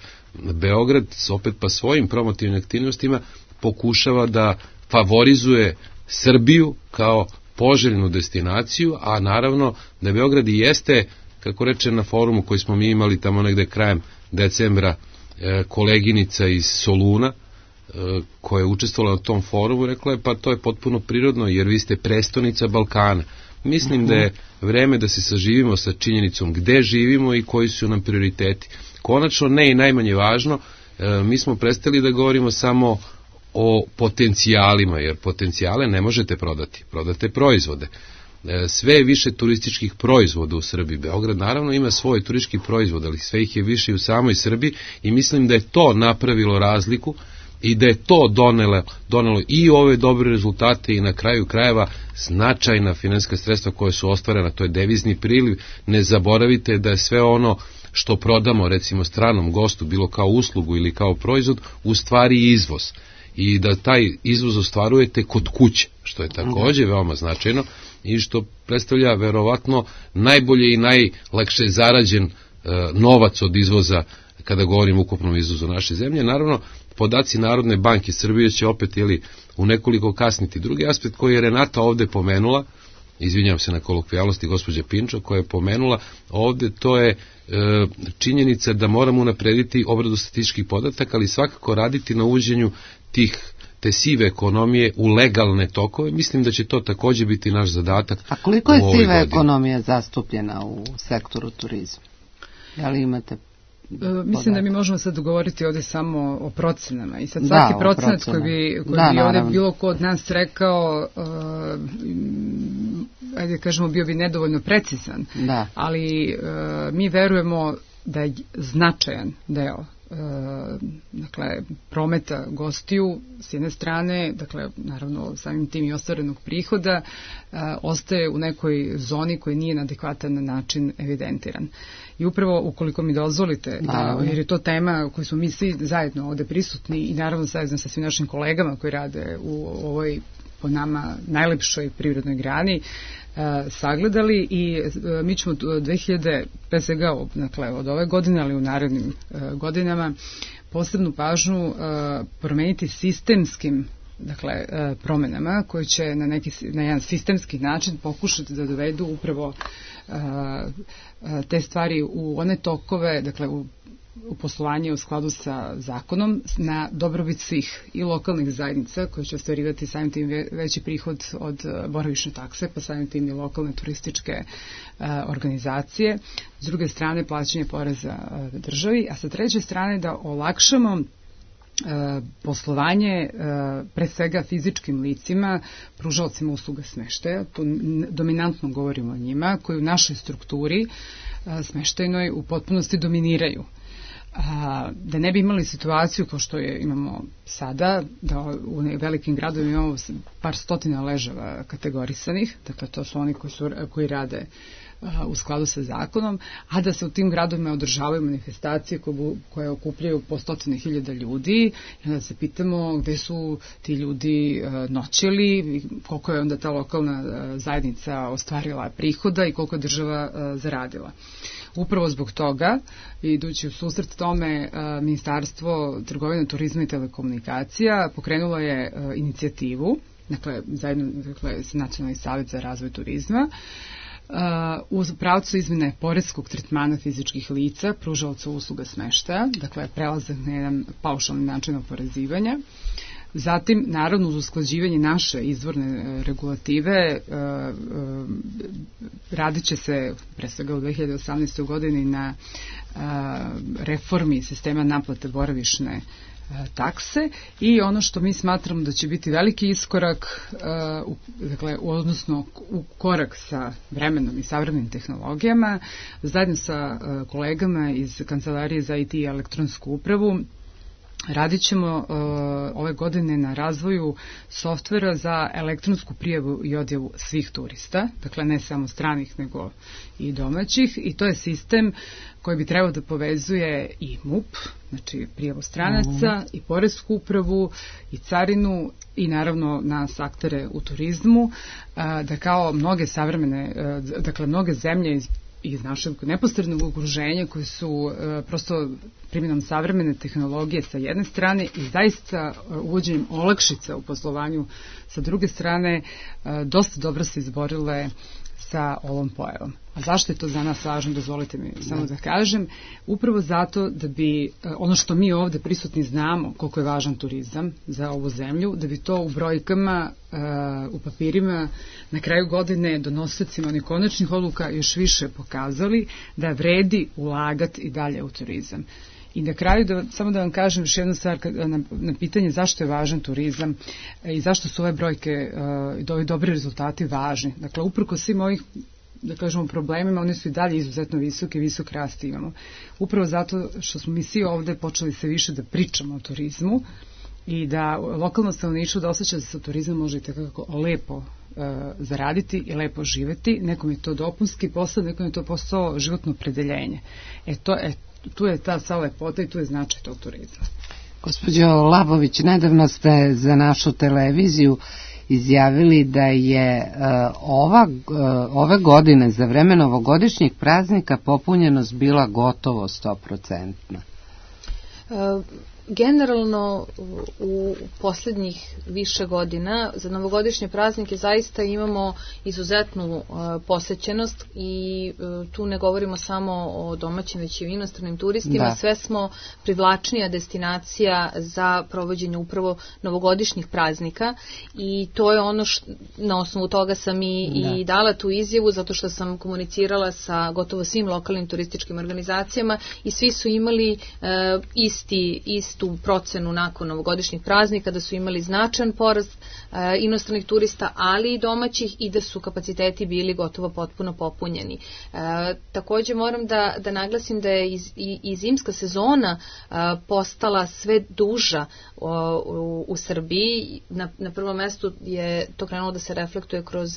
Beograd opet pa svojim promotivnim aktivnostima pokušava da favorizuje Srbiju kao poželjnu destinaciju, a naravno da Beograd i jeste, kako reče na forumu koji smo mi imali tamo negde krajem decembra, koleginica iz Soluna koja je učestvovala na tom forumu, rekla je pa to je potpuno prirodno jer vi ste prestonica Balkana. Mislim da je vreme da se saživimo sa činjenicom gde živimo i koji su nam prioriteti. Konačno, ne i najmanje važno, mi smo prestali da govorimo samo o potencijalima, jer potencijale ne možete prodati, prodate proizvode. Sve je više turističkih proizvoda u Srbiji. Beograd naravno ima svoj turistički proizvod, ali sve ih je više u samoj Srbiji i mislim da je to napravilo razliku i da je to donelo i ove dobre rezultate i na kraju krajeva značajna finansijska sredstva koje su ostvarena, to je devizni priliv. Ne zaboravite da je sve ono što prodamo recimo stranom gostu, bilo kao uslugu ili kao proizvod, u stvari izvoz. I da taj izvoz ostvarujete kod kuće, što je takođe veoma značajno i što predstavlja verovatno najbolje i najlakše zarađen novac od izvoza kada govorimo o ukupnom izvozu naše zemlje. Naravno, podaci Narodne banke Srbije će opet u nekoliko kasniti. Drugi aspekt koji je Renata ovde pomenula, izvinjam se na kolokvijalnosti gospođa Pinčo, koja je pomenula ovde, to je činjenica da moramo unaprediti obradu statističkih podataka, ali svakako raditi na uvođenju te sive ekonomije u legalne tokove. Mislim da će to takođe biti naš zadatak. A koliko je siva ekonomija zastupljena u sektoru turizma? Da li imate Mislim da mi možemo sad govoriti ovde samo o procenama i sad svaki procenat koji bi ovde bilo ko od nas rekao, ajde kažemo, bio bi nedovoljno precizan, ali mi verujemo da je značajan deo dakle, prometa gostiju s jedne strane, dakle, naravno samim tim i ostvarenog prihoda, ostaje u nekoj zoni koji nije na adekvatan način evidentiran. I upravo, ukoliko mi dozvolite, jer je to tema koju smo mi svi zajedno ovde prisutni i naravno zajedno sa svim našim kolegama koji rade u ovoj, po nama, najlepšoj privrednoj grani, sagledali i mi ćemo 2000, pre svega od ove godine, ali u narednim godinama, posebnu pažnju promeniti sistemskim promenama koje će na jedan sistemski način pokušati da dovedu upravo te stvari u one tokove, dakle u u poslovanje u skladu sa zakonom na dobrobit svih i lokalnih zajednica koje će ostvarivati samim tim veći prihod od boravišne takse, pa samim tim i lokalne turističke organizacije. S druge strane plaćanje poreza državi, a sa treće strane da olakšamo poslovanje pre svega fizičkim licima, pružaocima usluga smeštaja, tu dominantno govorimo o njima, koji u našoj strukturi smeštajnoj u potpunosti dominiraju. Da ne bi imali situaciju kao što imamo sada, da u velikim gradovima imamo par stotina ležava kategorisanih, dakle to su oni koji rade u skladu sa zakonom, a da se u tim gradovima održavaju manifestacije koje okupljaju po 100.000 ljudi i onda se pitamo gde su ti ljudi noćili, koliko je onda ta lokalna zajednica ostvarila prihoda i koliko je država zaradila. Upravo zbog toga, idući u susret tome, Ministarstvo trgovine, turizma i telekomunikacija pokrenulo je inicijativu, zajedno sa Nacionalni savjet za razvoj turizma, u pravcu izmene poreskog tretmana fizičkih lica, pružaoca usluga smeštaja, dakle prelazak na jedan paušalni način oporezivanja. Zatim, naravno, uz usklađivanje naše izvorne regulative, radit će se pre svega u 2018. godini na reformi sistema naplate boravišne takse i ono što mi smatramo da će biti veliki iskorak, odnosno u korak sa vremenom i savremenim tehnologijama, zajedno sa kolegama iz Kancelarije za IT i elektronsku upravu, radit ćemo ove godine na razvoju softvera za elektronsku prijavu i odjavu svih turista, dakle ne samo stranih nego i domaćih, i to je sistem koji bi trebao da povezuje i MUP, znači prijavu stranaca, i poresku upravu, i carinu, i naravno nas aktere u turizmu, da kao mnoge savremene, dakle mnoge zemlje iz našeg neposrednog okruženja koji su prosto primjenom savremene tehnologije sa jedne strane i zaista uvođenjem olakšica u poslovanju sa druge strane dosta dobro se izborile sa ovom pojavom. A zašto je to za nas važno, dozvolite mi samo da kažem, upravo zato da bi ono što mi ovde prisutni znamo koliko je važan turizam za ovu zemlju, da bi to u brojkama, u papirima na kraju godine donosiocima onih konačnih odluka još više pokazali da vredi ulagati i dalje u turizam. I na kraju, samo da vam kažem još jednu stvar na pitanje zašto je važan turizam i zašto su ove brojke i ovi dobri rezultati važni. Dakle, uprko svim ovih, da kažemo, problemima, oni su i dalje izuzetno visoki, visok rast imamo. Upravo zato što smo mi svi ovde počeli se više da pričamo o turizmu i da lokalno stanovništvo da osjeća da se turizam može i tako lepo zaraditi i lepo živeti. Nekom je to dopunski posao, nekom je to posao životno opredeljenje. Tu je ta sva lepota i tu je značaj tog turizma. Gospođo Labović, nedavno ste za našu televiziju izjavili da je ove godine za vreme novogodišnjih praznika popunjenost bila gotovo 100%. Generalno u posljednjih više godina za novogodišnje praznike zaista imamo izuzetnu posećenost i tu ne govorimo samo o domaćim već i inostranim turistima, sve smo privlačnija destinacija za provođenje upravo novogodišnjih praznika i to je ono na osnovu toga sam i dala tu izjavu zato što sam komunicirala sa gotovo svim lokalnim turističkim organizacijama i svi su imali istu procenu nakon novogodišnjih praznika, da su imali značajan porast inostranih turista, ali i domaćih i da su kapaciteti bili gotovo potpuno popunjeni. Također moram da naglasim da je i zimska sezona postala sve duža u Srbiji. Na prvom mestu je to krenulo da se reflektuje kroz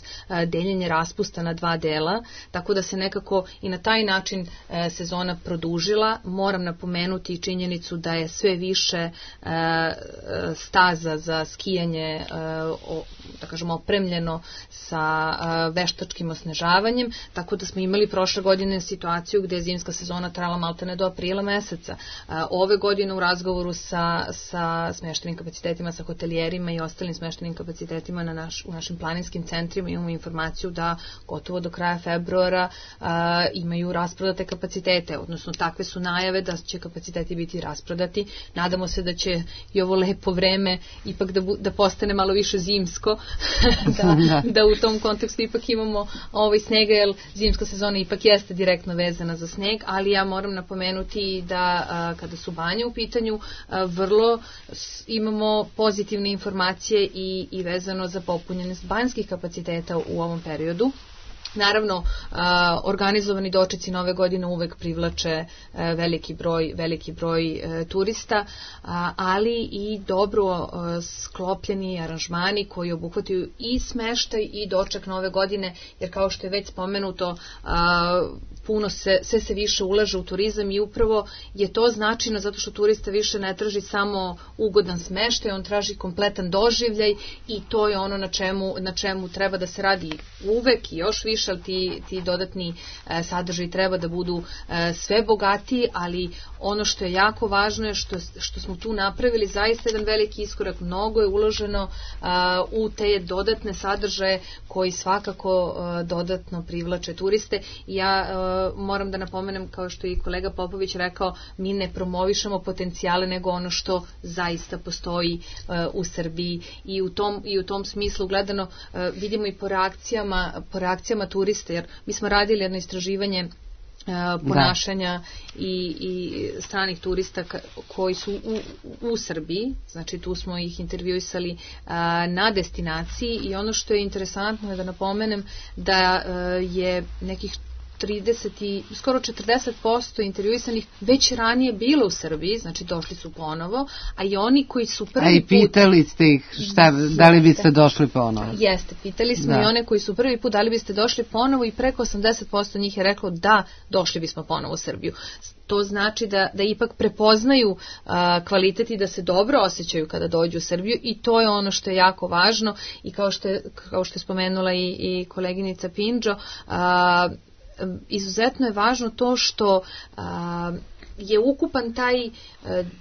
deljenje raspusta na 2 dela, tako da se nekako i na taj način sezona produžila. Moram napomenuti i činjenicu da je sve više staza za skijanje, da kažemo, opremljeno sa veštačkim osnežavanjem, tako da smo imali prošle godine situaciju gde je zimska sezona trajala maltene do aprila meseca. Ove godine u razgovoru sa smeštenim kapacitetima, sa hotelijerima i ostalim smeštenim kapacitetima u našim planinskim centrima imamo informaciju da gotovo do kraja februara imaju rasprodate kapacitete, odnosno takve su najave da će kapaciteti biti rasprodati. Nadamo se da će i ovo lepo vreme ipak da postane malo više zimsko, da u tom kontekstu ipak imamo snega, jer zimska sezona ipak jeste direktno vezana za sneg, ali ja moram napomenuti da kada su banje u pitanju, vrlo imamo pozitivne informacije i vezano za popunjenost banjskih kapaciteta u ovom periodu. Naravno, organizovani dočeci Nove godine uvek privlače veliki broj turista, ali i dobro sklopljeni aranžmani koji obuhvataju i smeštaj i doček Nove godine, jer kao što je već spomenuto, sve se više ulaže u turizam i upravo je to značajno zato što turista više ne traži samo ugodan smeštaj, on traži kompletan doživljaj i to je ono na čemu treba da se radi uvek i još više, ali ti dodatni sadržaji treba da budu sve bogatiji, ali ono što je jako važno je što smo tu napravili zaista jedan veliki iskorak, mnogo je uloženo u te dodatne sadržaje koji svakako dodatno privlače turiste. Ja moram da napomenem, kao što je i kolega Popović rekao, mi ne promovišemo potencijale nego ono što zaista postoji u Srbiji i u tom smislu gledano vidimo i po reakcijama turista, jer mi smo radili jedno istraživanje ponašanja i stranih turista koji su u Srbiji, znači tu smo ih intervjuisali na destinaciji i ono što je interesantno je da napomenem da je nekih 30 i skoro 40% intervjuisanih već ranije bilo u Srbiji, znači došli su ponovo, a i oni koji su prvi put... A i pitali ste ih da li biste došli ponovo? Jeste, pitali smo i one koji su prvi put da li biste došli ponovo i preko 80% njih je reklo da, došli bismo ponovo u Srbiju. To znači da ipak prepoznaju kvalitet i da se dobro osjećaju kada dođu u Srbiju i to je ono što je jako važno i kao što je spomenula i koleginica Pinđo, izuzetno je važno to što je ukupan taj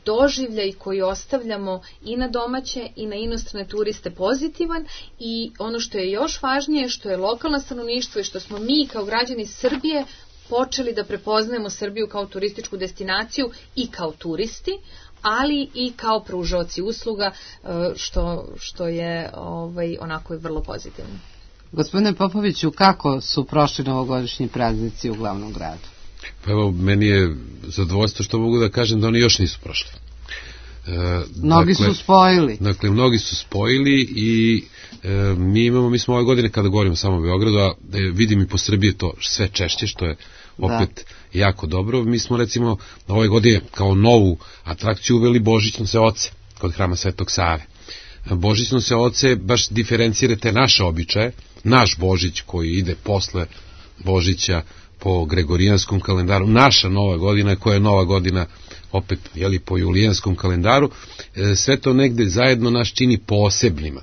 doživljaj koji ostavljamo i na domaće i na inostrane turiste pozitivan i ono što je još važnije što je lokalno stanovništvo i što smo mi kao građani Srbije počeli da prepoznajemo Srbiju kao turističku destinaciju i kao turisti, ali i kao pružaoci usluga, što je onako vrlo pozitivno. Gospodine Popoviću, kako su prošli novogodišnji praznici u glavnom gradu? Pa evo, meni je zadovoljstvo što mogu da kažem da oni još nisu prošli. Mnogi su spojili. Dakle, mnogi su spojili i mi smo ove godine, kada govorimo samo o Beogradu, a vidim i po Srbiji to sve češće, što je opet jako dobro. Mi smo recimo ove godine kao novu atrakciju uveli Božićnose oce kod hrama Svetog Save. Božićnose oce baš diferencirate naše običaje, naš Božić koji ide posle Božića po gregorijanskom kalendaru, naša nova godina koja je nova godina opet po julijanskom kalendaru, sve to negde zajedno nas čini posebnima.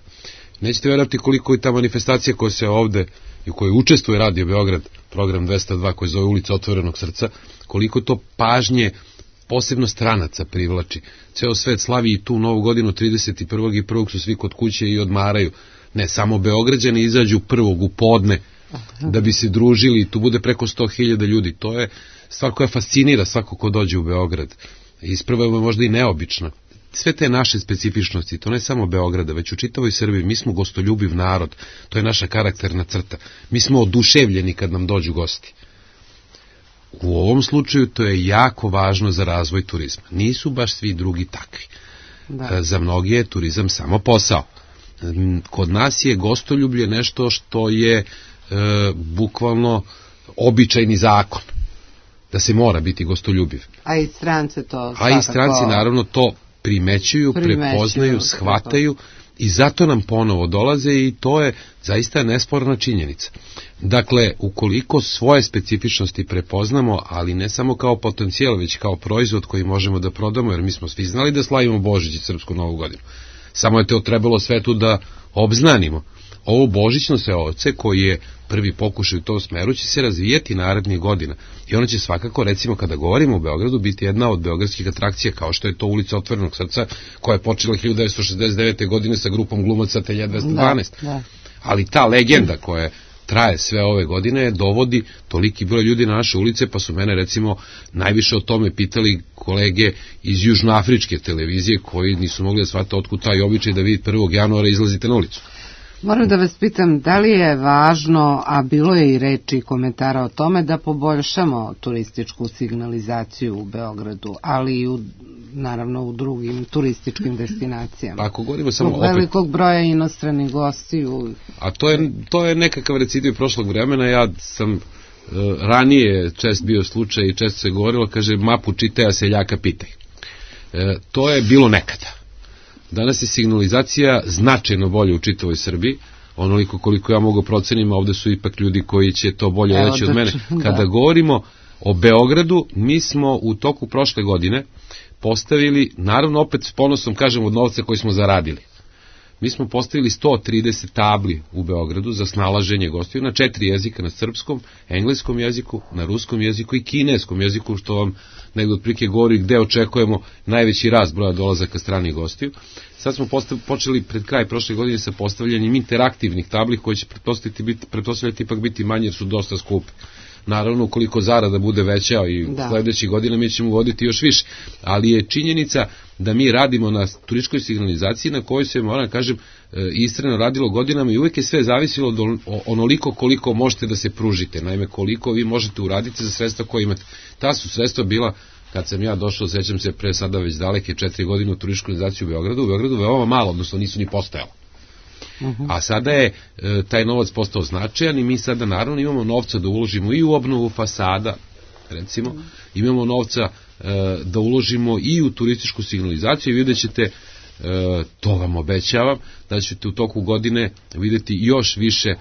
Nećete verovati koliko je ta manifestacija koja se ovde i u kojoj učestvuje Radio Beograd, program 202 koji zove Ulica otvorenog srca, koliko to pažnje posebno stranaca privlači. Ceo svet slavi i tu novu godinu 31. i 1. su svi kod kuće i odmaraju. Ne, samo Beograđani izađu 1. u podne da bi se družili i tu bude preko 100.000 ljudi. To je stvar koja fascinira svako ko dođe u Beograd. Isprva je možda i neobična. Sve te naše specifičnosti, to ne samo Beograda, već u čitavoj Srbiji, mi smo gostoljubiv narod, to je naša karakterna crta. Mi smo oduševljeni kad nam dođu gosti. U ovom slučaju to je jako važno za razvoj turizma. Nisu baš svi drugi takvi. Za mnogi je turizam samo posao. Kod nas je gostoljublje nešto što je bukvalno običajni zakon. Da se mora biti gostoljubiv. A i stranci to svakako... A i stranci naravno to primećuju, prepoznaju, shvataju i zato nam ponovo dolaze i to je zaista nesporna činjenica. Dakle, ukoliko svoje specifičnosti prepoznamo, ali ne samo kao potencijal, već kao proizvod koji možemo da prodamo, jer mi smo svi znali da slavimo Božić i Srpsku novu godinu. Samo je to trebalo svetu da obznanimo. Ovo božićno seoce koji je prvi pokušaj u tom smeru će se razvijeti narednih godina i ono će svakako, recimo kada govorimo o Beogradu, biti jedna od beogradskih atrakcija kao što je to ulica Otvorenog srca koja je počela 1969. godine sa grupom glumaca Telja 212. Ali ta legenda koja traje sve ove godine dovodi toliki broj ljudi na naše ulice, pa su mene recimo najviše o tome pitali kolege iz južnoafričke televizije koji nisu mogli da shvate otkud taj običaj da vi 1. januara izlazite na ulicu. Moram da vas pitam, da li je važno, a bilo je i reči i komentara o tome, da poboljšamo turističku signalizaciju u Beogradu, ali i naravno u drugim turističkim destinacijama? Ako govorimo samo opet velikog broja inostranih gostiju. A to je nekakav recidiv prošlog vremena. Ja sam ranije čest bio slučaj i često se govorilo, kaže, mapu čitaj, a seljaka pitaj. To je bilo nekada. Danas je signalizacija značajno bolje u čitavoj Srbiji, onoliko koliko ja mogu procenim, ovde su ipak ljudi koji će to bolje reći od mene. Kada govorimo o Beogradu, mi smo u toku prošle godine postavili, naravno opet s ponosom kažem od novca koji smo zaradili, mi smo postavili 130 tabli u Beogradu za snalaženje gostiju na 4 jezika, na srpskom, engleskom jeziku, na ruskom jeziku i kineskom jeziku, što vam negdje otprilike govori gde očekujemo najveći rast broja dolazaka stranih gostiju. Sad smo počeli pred kraj prošle godine sa postavljanjem interaktivnih tabli koje će pretpostavljati ipak biti manje jer su dosta skupe. Naravno, ukoliko zarada bude veća i sledećih godina mi ćemo voditi još više, ali je činjenica da mi radimo na turističkoj signalizaciji na kojoj se, moram kažem, istrajno radilo godinama i uvijek je sve zavisilo od onoliko koliko možete da se pružite, naime koliko vi možete uraditi za sredstva koje imate. Ta su sredstva bila, kad sam ja došao, sećam se pre sada već daleke 4 godine u turističku organizaciju u Beogradu veoma malo, odnosno nisu ni postojalo. A sada je taj novac postao značajan i mi sada naravno imamo novca da uložimo i u obnovu fasada, recimo, imamo novca da uložimo i u turističku signalizaciju i vidjet ćete, to vam obećavam, da ćete u toku godine vidjeti još više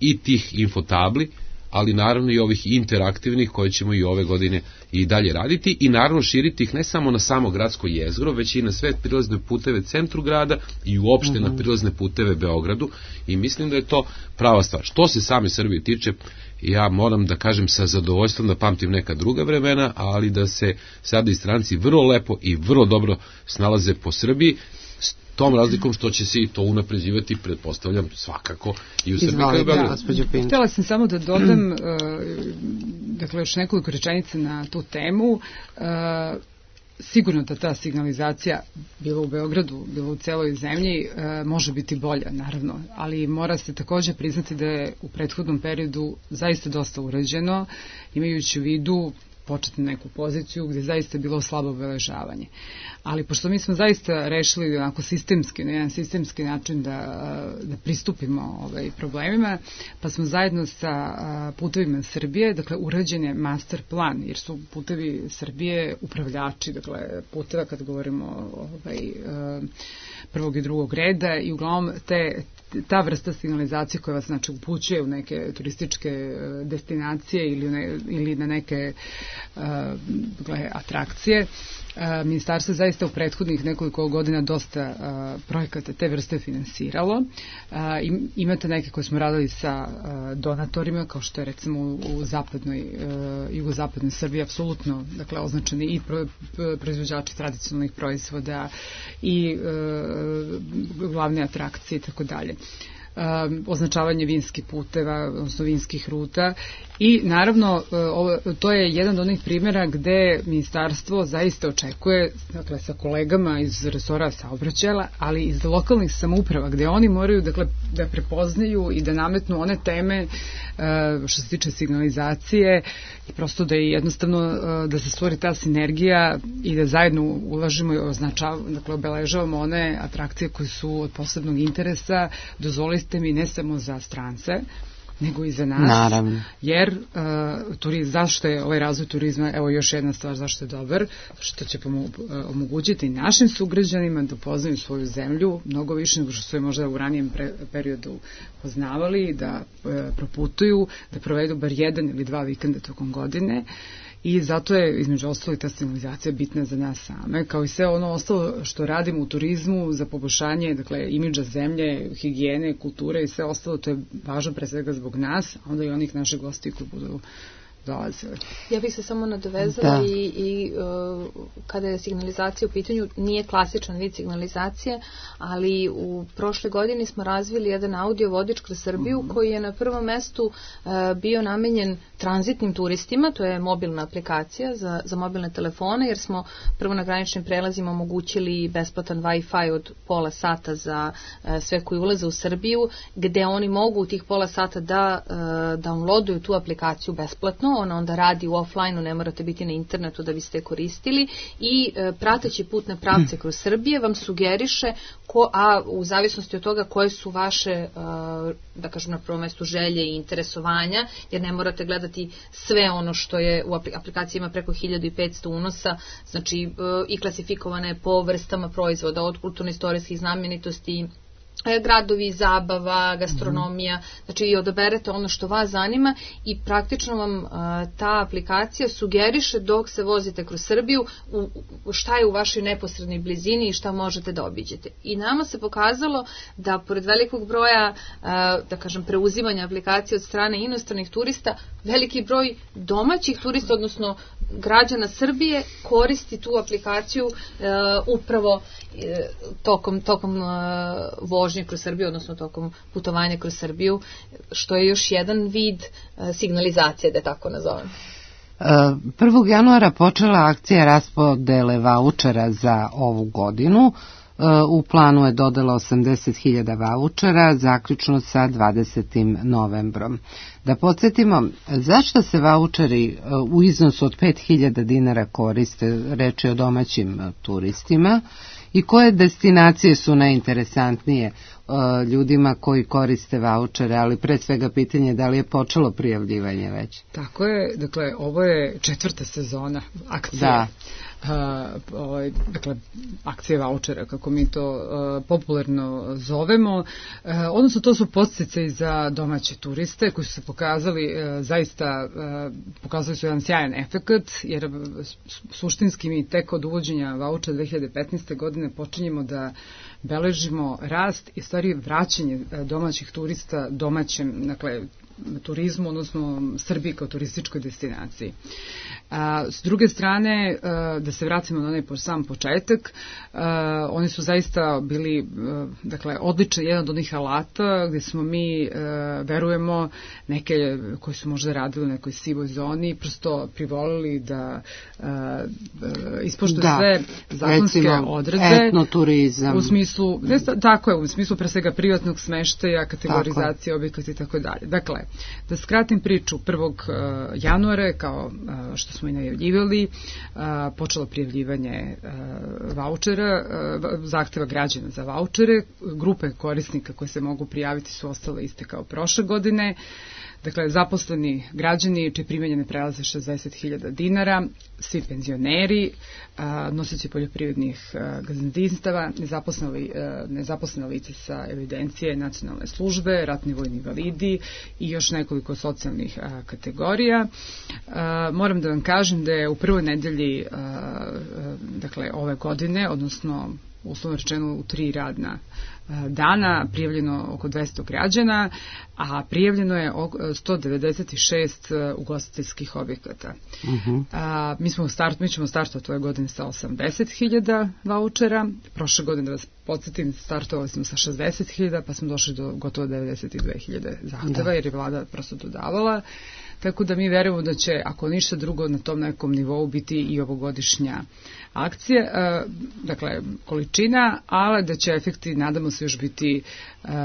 i tih infotabli, ali naravno i ovih interaktivnih koje ćemo i ove godine i dalje raditi i naravno širiti ih ne samo na samo gradsko jezgro, već i na sve prilazne puteve centru grada i uopšte na prilazne puteve Beogradu i mislim da je to prava stvar. Što se same Srbije tiče, ja moram da kažem sa zadovoljstvom da pamtim neka druga vremena, ali da se sada i stranci vrlo lepo i vrlo dobro snalaze po Srbiji, s tom razlikom što će se i to unapređivati, pretpostavljam, svakako i u Srbiji kao i Beogradu. Htjela sam samo da dodam, dakle, još nekoliko rečenica na tu temu. Sigurno da ta signalizacija, bilo u Beogradu, bilo u celoj zemlji, može biti bolja, naravno, ali mora se također priznati da je u prethodnom periodu zaista dosta urađeno, imajući u vidu početnu neku poziciju gdje zaista je bilo slabo obeležavanje. Ali pošto mi smo zaista rešili onako sistemski, na jedan sistemski način da pristupimo problemima, pa smo zajedno sa Putevima Srbije, dakle urađen je master plan, jer su Putevi Srbije upravljači, dakle puteva kad govorimo prvog i drugog reda i uglavnom ta vrsta signalizacije koja vas znači upućuje u neke turističke destinacije ili na neke atrakcije. Ministarstvo zaista u prethodnih nekoliko godina dosta projekata te vrste finansiralo. Imate neke koje smo radili sa donatorima, kao što je recimo u jugozapadnoj Srbiji apsolutno, dakle, označeni i proizvođači tradicionalnih proizvoda i glavne atrakcije i tako dalje. Označavanje vinskih puteva, odnosno vinskih ruta i naravno to je jedan od onih primjera gde ministarstvo zaista očekuje, dakle, sa kolegama iz resora saobraćaja, ali iz lokalnih samouprava gde oni moraju, dakle, da prepoznaju i da nametnu one teme što se tiče signalizacije i prosto da je jednostavno da se stvori ta sinergija i da zajedno ulažimo i dakle, obeležavamo one atrakcije koje su od posebnog interesa, dozvolite mi, ne samo za strance, nego i za nas. Naravno. Jer zašto je ovaj razvoj turizma, evo još jedna stvar zašto je dobar, što će omogućiti našim sugrađanima da upoznaju svoju zemlju mnogo više nego što su je možda u ranijem periodu poznavali, da proputuju, da provedu bar 1 ili 2 vikenda tokom godine. I zato je, između ostalo, i ta signalizacija bitna za nas same, kao i sve ono ostalo što radimo u turizmu za poboljšanje, dakle, imidža zemlje, higijene, kulture i sve ostalo, to je važno pre svega zbog nas, a onda i onih naših gosti koji budu dolazili. Ja bih se samo nadovezala i kada je signalizacija u pitanju, nije klasičan vid signalizacije, ali u prošle godini smo razvili jedan audio vodič kroz Srbiju koji je na prvom mestu bio namenjen tranzitnim turistima, to je mobilna aplikacija za mobilne telefone, jer smo prvo na graničnim prelazima omogućili besplatan Wi-Fi od pola sata za sve koji ulaze u Srbiju, gde oni mogu u tih pola sata da downloaduju tu aplikaciju besplatno, ona onda radi u offline-u, ne morate biti na internetu da biste koristili i prateći putne pravce kroz Srbije vam sugeriše, a u zavisnosti od toga koje su vaše, da kažem na prvom mestu, želje i interesovanja, jer ne morate gledati sve ono što je u aplikaciji, ima preko 1500 unosa, znači i klasifikovane po vrstama proizvoda, od kulturno-istorijskih znamenitosti, gradovi, zabava, gastronomija, znači i odaberete ono što vas zanima i praktično vam ta aplikacija sugeriše dok se vozite kroz Srbiju šta je u vašoj neposrednoj blizini i šta možete da obiđete. I nama se pokazalo da pored velikog broja, da kažem, preuzimanja aplikacije od strane inostranih turista, veliki broj domaćih turista, odnosno građana Srbije, koristi tu aplikaciju upravo tokom vožnje kroz Srbiju, odnosno tokom putovanja kroz Srbiju, što je još jedan vid signalizacije, da tako nazovem. 1. januara počela akcija raspodele vaučera za ovu godinu. U planu je dodala 80.000 vaučera, zaključno sa 20. novembrom. Da podsjetimo, zašto se vaučeri u iznosu od 5.000 dinara koriste, reč je o domaćim turistima, i koje destinacije su najinteresantnije ljudima koji koriste vaučere, ali pre svega pitanje da li je počelo prijavljivanje već? Tako je, dakle, ovo je 4. sezona akcije. Da. Dakle, akcije vaučera, kako mi to popularno zovemo, odnosno to su podsticaji za domaće turiste koji su se pokazali zaista, pokazali su jedan sjajan efekat, jer suštinski mi tek od uvođenja vaučera 2015. godine počinjemo da beležimo rast i stvari vraćanje domaćih turista domaćem, dakle, turizmu, odnosno Srbiji kao turističkoj destinaciji. S druge strane, da se vratimo na onaj sam početak, oni su zaista bili, dakle, odličan jedan od onih alata gdje smo mi, verujemo, neke koji su možda radili u nekoj sivoj zoni, prosto privolili da ispoštuju sve zakonske odredbe. Etnoturizam. U smislu, tako je, u smislu pre svega privatnog smeštaja, kategorizacije objekata i tako dalje. Dakle, da skratim priču, 1. januara, kao što smo i najavljivali, počelo prijavljivanje vaučera, zahteva građana za vaučere, grupe korisnika koje se mogu prijaviti su ostale iste kao prošle godine. Dakle, zaposleni građani čije primanje ne prelaze 60.000 dinara, svi penzioneri, nosioci poljoprivrednih gazdinstava, nezaposlene lice sa evidencije nacionalne službe, ratni vojni invalidi i još nekoliko socijalnih kategorija. Moram da vam kažem da je u prvoj nedelji, dakle, ove godine, odnosno uslovno rečeno u 3 radna dana, prijavljeno oko 200 građana, a prijavljeno je 196 ugostiteljskih objekata. Mi ćemo startovati ove godine sa 80.000 vaučera. Prošle godine, da vas podsjetim, startovali smo sa 60.000, pa smo došli do gotovo 92.000 zahteva, jer je vlada prosto dodavala. Tako da mi verujemo da će, ako ništa drugo, na tom nekom nivou biti i ovogodišnja akcija, dakle, količina, ali da će efekti, nadamo se, još biti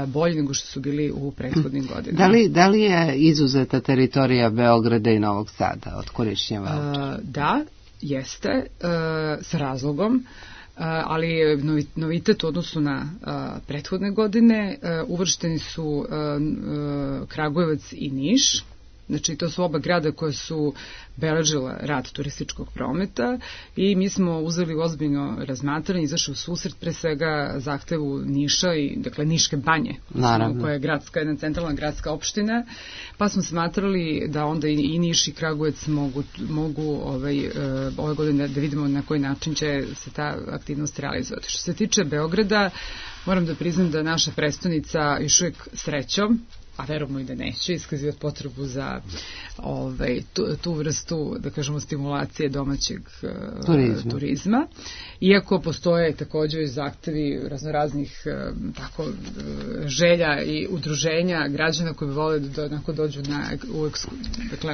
bolji nego što su bili u prethodnim godinama. Da li je izuzeta teritorija Beograda i Novog Sada od korišćenja vaučera? Da, jeste, sa razlogom. ali novitet u odnosu na prethodne godine. Uvršteni su Kragujevac i Niš. Znači, to su oba grada koje su beležila rad turističkog prometa i mi smo uzeli ozbiljno razmatranje, izašli u susret pre svega zahtevu Niša i, dakle, Niške banje, koja je jedna centralna gradska opština, pa smo smatrali da onda i Niš i Kragujevac mogu ove godine da vidimo na koji način će se ta aktivnost realizovati. Što se tiče Beograda, moram da priznam da naša prestonica još uvijek srećom, a verujemo i da neće iskazivati potrebu za tu vrstu, da kažemo, stimulacije domaćeg turizma. Iako postoje također zahtevi raznoraznih želja i udruženja građana koji bi vole da dođu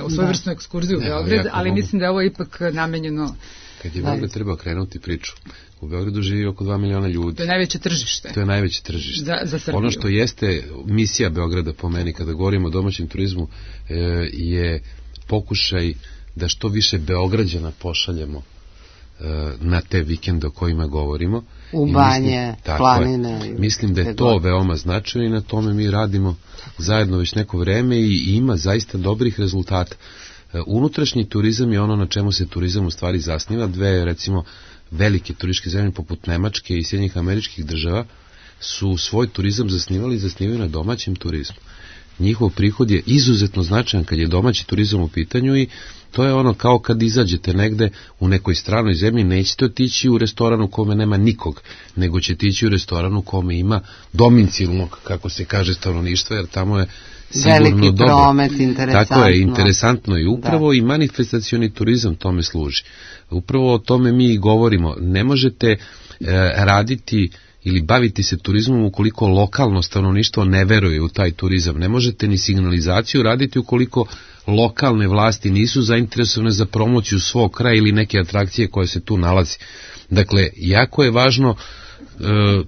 u svojevrsnu ekskurziju u Beograd, ali mislim da je ovo ipak namenjeno. Kad je Beograd treba krenuti priču, u Beogradu živi oko 2 miliona ljudi. To je najveće tržište. To je najveće tržište. Za Srbiju. Ono što jeste misija Beograda po meni, kada govorimo o domaćem turizmu, je pokušaj da što više Beograđana pošaljemo na te vikende o kojima govorimo. U banje, planine. Mislim da je to veoma značajno i na tome mi radimo zajedno već neko vreme i ima zaista dobrih rezultata. Unutrašnji turizam je ono na čemu se turizam u stvari zasniva. Dve, recimo, velike turističke zemlje poput Nemačke i Sjedinjenih Američkih Država su svoj turizam zasnivaju na domaćem turizmu. Njihov prihod je izuzetno značajan kad je domaći turizam u pitanju i to je ono kao kad izađete negde u nekoj stranoj zemlji, nećete otići u restoran u kome nema nikog, nego ćete ići u restoran u kome ima domicilnog, kako se kaže, stanovništva, jer tamo je veliki promet, interesantno. Tako je, interesantno i upravo i manifestacioni turizam tome služi. Upravo o tome mi i govorimo. Ne možete raditi ili baviti se turizmom ukoliko lokalno stanovništvo ne veruje u taj turizam. Ne možete ni signalizaciju raditi ukoliko lokalne vlasti nisu zainteresovane za promociju svog kraja ili neke atrakcije koje se tu nalazi. Dakle, jako je važno,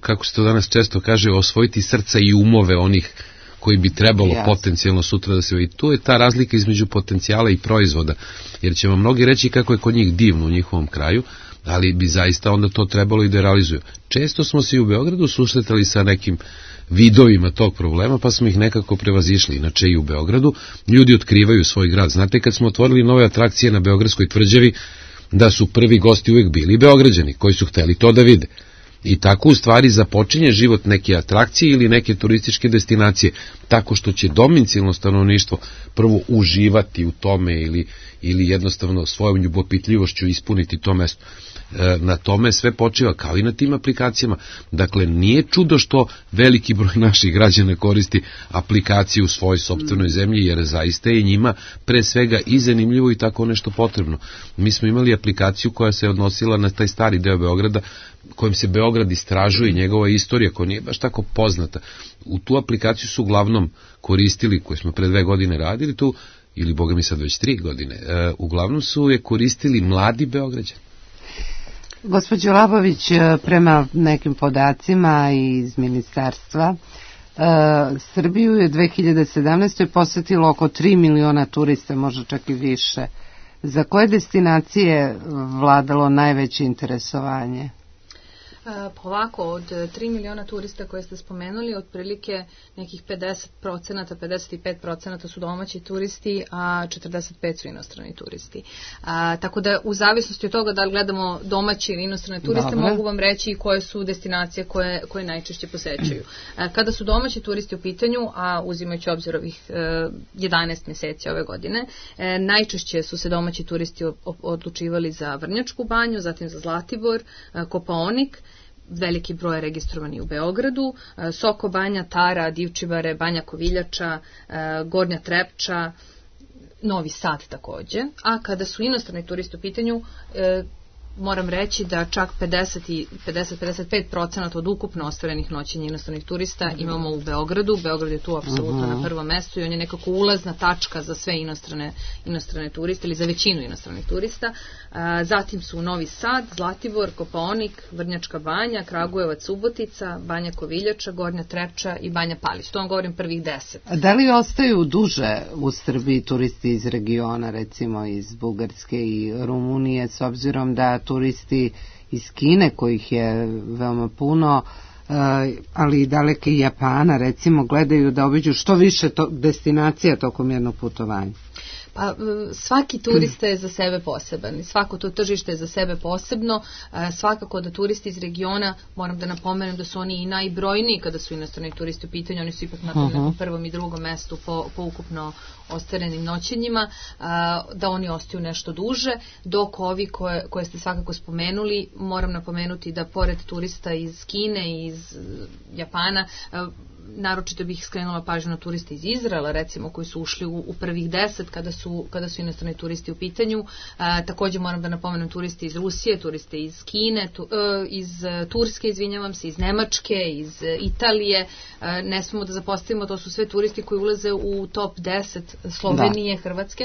kako se to danas često kaže, osvojiti srca i umove onih koji bi trebalo potencijalno sutra da se vidi. Tu je ta razlika između potencijala i proizvoda, jer će vam mnogi reći kako je kod njih divno u njihovom kraju, ali bi zaista onda to trebalo i da realizuju. Često smo se i u Beogradu susretali sa nekim vidovima tog problema, pa smo ih nekako prevazišli. Inače i u Beogradu ljudi otkrivaju svoj grad. Znate, kad smo otvorili nove atrakcije na Beogradskoj tvrđavi, da su prvi gosti uvijek bili Beograđani, koji su hteli to da vide. I tako u stvari započinje život neke atrakcije ili neke turističke destinacije, tako što će domicilno stanovništvo prvo uživati u tome ili jednostavno svojom ljubopitljivošću ispuniti to mesto. Na tome sve počiva, kao i na tim aplikacijama. Dakle, nije čudo što veliki broj naših građana koristi aplikaciju u svojoj sopstvenoj zemlji, jer zaista je njima pre svega i zanimljivo i tako nešto potrebno. Mi smo imali aplikaciju koja se odnosila na taj stari deo Beograda, kojim se Beograd istražuje i njegova istorija koja nije baš tako poznata. U tu aplikaciju su uglavnom koristili, koju smo pre 2 godine radili tu, ili boga mi sad već 3 godine, uglavnom su je koristili mladi Beograđani. Gospođo Labović, prema nekim podacima iz ministarstva, Srbiju je 2017. posjetilo oko 3 miliona turista, možda čak i više. Za koje destinacije vladalo najveće interesovanje? Pa ovako, od 3 miliona turista koje ste spomenuli, otprilike nekih 50%, 55% su domaći turisti, a 45% su inostrani turisti. Tako da u zavisnosti od toga da li gledamo domaći ili inostrane turiste, mogu vam reći koje su destinacije koje najčešće posećuju. Kada su domaći turisti u pitanju, a uzimajući obzir ovih 11 mjeseci ove godine, najčešće su se domaći turisti odlučivali za Vrnjačku banju, zatim za Zlatibor, Kopaonik, veliki broj registrovani u Beogradu, Soko Banja, Tara, Divčibare, Banja Koviljača, Gornja Trepča, Novi Sad također. A kada su inostrani turisti u pitanju, moram reći da čak 50-55% od ukupno ostvarenih noćenja inostranih turista imamo u Beogradu. Beograd je tu apsolutno na prvom mjestu i on je nekako ulazna tačka za sve inostrane turiste ili za većinu inostranih turista. Zatim su Novi Sad, Zlatibor, Kopaonik, Vrnjačka Banja, Kragujevac, Subotica, Banja Koviljača, Gornja Trepča i Banja Palić. To vam govorim prvih 10. Da li ostaju duže u Srbiji turisti iz regiona, recimo iz Bugarske i Rumunije, s obzirom da turisti iz Kine, kojih je veoma puno, ali i daleke Japana, recimo, gledaju da obiđu što više destinacija tokom jednog putovanja? Pa, svaki turista je za sebe poseban i svako to tržište je za sebe posebno. Svakako da turisti iz regiona, moram da napomenem da su oni i najbrojniji kada su inostrani turisti u pitanju, oni su ipak na prvom i drugom mestu po ukupno ostvarenim noćenjima, da oni ostaju nešto duže, dok ovi koje ste svakako spomenuli, moram napomenuti da pored turista iz Kine i iz Japana, naročito bih skrenula pažnju na turiste iz Izraela, recimo, koji su ušli u prvih 10 kada su inostrani turisti u pitanju. Također moram da napomenem turiste iz Rusije, turiste iz Kine, iz Turske, izvinjavam se, iz Nemačke, iz Italije. Ne smemo da zapostavimo, to su sve turisti koji ulaze u top 10 Slovenije, Hrvatske.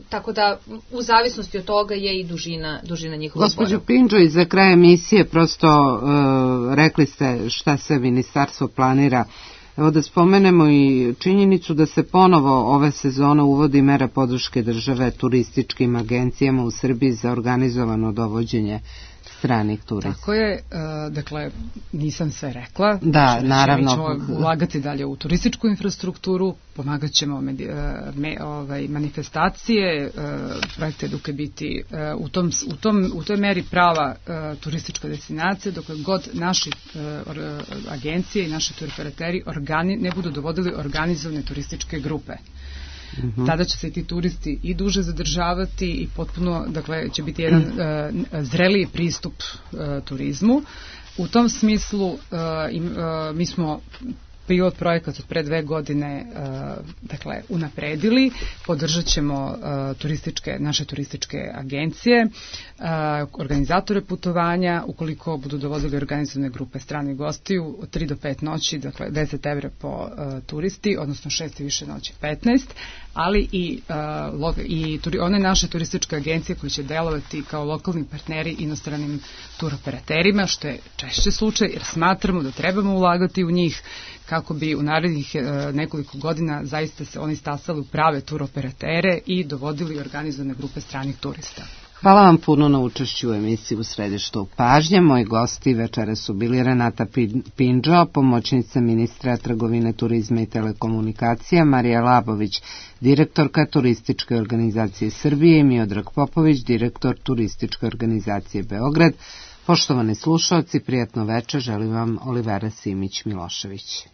Tako da u zavisnosti od toga je i dužina njihova. Gospođo Pindžo, i za kraj emisije prosto rekli ste šta se ministarstvo planira. Evo da spomenemo i činjenicu da se ponovo ove sezone uvodi mera podrške države turističkim agencijama u Srbiji za organizovano dovođenje stranih turista. Tako je, dakle, nisam sve rekla. Da, naravno. Mi ćemo ulagati dalje u turističku infrastrukturu, pomagat ćemo manifestacije, projekte Eduke biti u toj meri prava turistička destinacija, dok god naši agencije i naši turoperateri ne budu dovodili organizovane turističke grupe. Tada će se i ti turisti i duže zadržavati i potpuno, dakle, će biti jedan zreliji pristup turizmu. U tom smislu mi smo pilot projekat od pre 2 godine dakle, unapredili, podržat ćemo naše turističke agencije, organizatore putovanja, ukoliko budu dovodili organizovane grupe stranih gostiju, od 3 do 5 noći, dakle 10 evra po turisti, odnosno 6 i više noći 15, ali i one naše turističke agencije koje će delovati kao lokalni partneri inostranim turoperaterima, što je češće slučaj, jer smatramo da trebamo ulagati u njih kako bi u narednih nekoliko godina zaista se oni stasali u prave turoperatere i dovodili organizovane grupe stranih turista. Hvala vam puno na učešću u emisiji U središtu pažnje. Moji gosti večera su bili Renata Pindžo, pomoćnica ministra trgovine, turizma i telekomunikacija, Marija Labović, direktorka Turističke organizacije Srbije, i Miodrag Popović, direktor Turističke organizacije Beograd. Poštovani slušalci, prijatno večer želim vam Olivera Simić-Milošević.